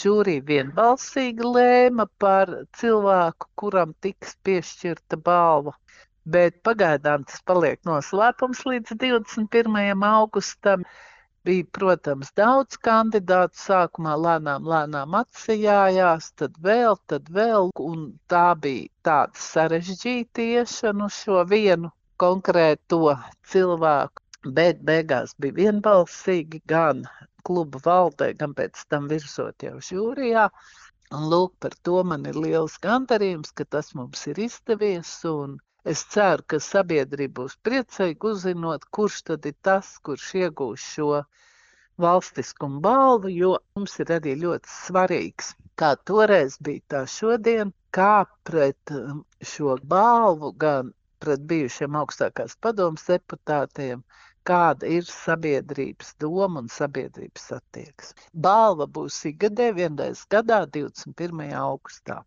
žūrija vienbalsīgi lēma par cilvēku, kuram tiks piešķirta balva. Bet pagaidām tas paliek noslēpums līdz 21. augustam. Bija, protams, daudz kandidātu. Sākumā lēnām atsijājās, tad vēl, un tā bija tāda sarežģīta iešana uz šo vienu konkrēto cilvēku. Bet beigās bija vienbalsīgi gan kluba valdē, gan pēc tam virsot jau žūrijā. Un lūk, par to man ir liels gandarījums, ka tas mums ir izdevies, un es ceru, ka sabiedrība būs priecīga uzzinot, kurš tad ir tas, kurš iegūs šo valstiskumu balvu, jo mums ir arī ļoti svarīgs, kā toreiz bija tā šodien, kā pret šo balvu, gan pret bijušiem augstākās padomas deputātiem, kāda ir sabiedrības doma un sabiedrības attieksme. Balva būs ikgadē vienreiz gadā 21. augustā.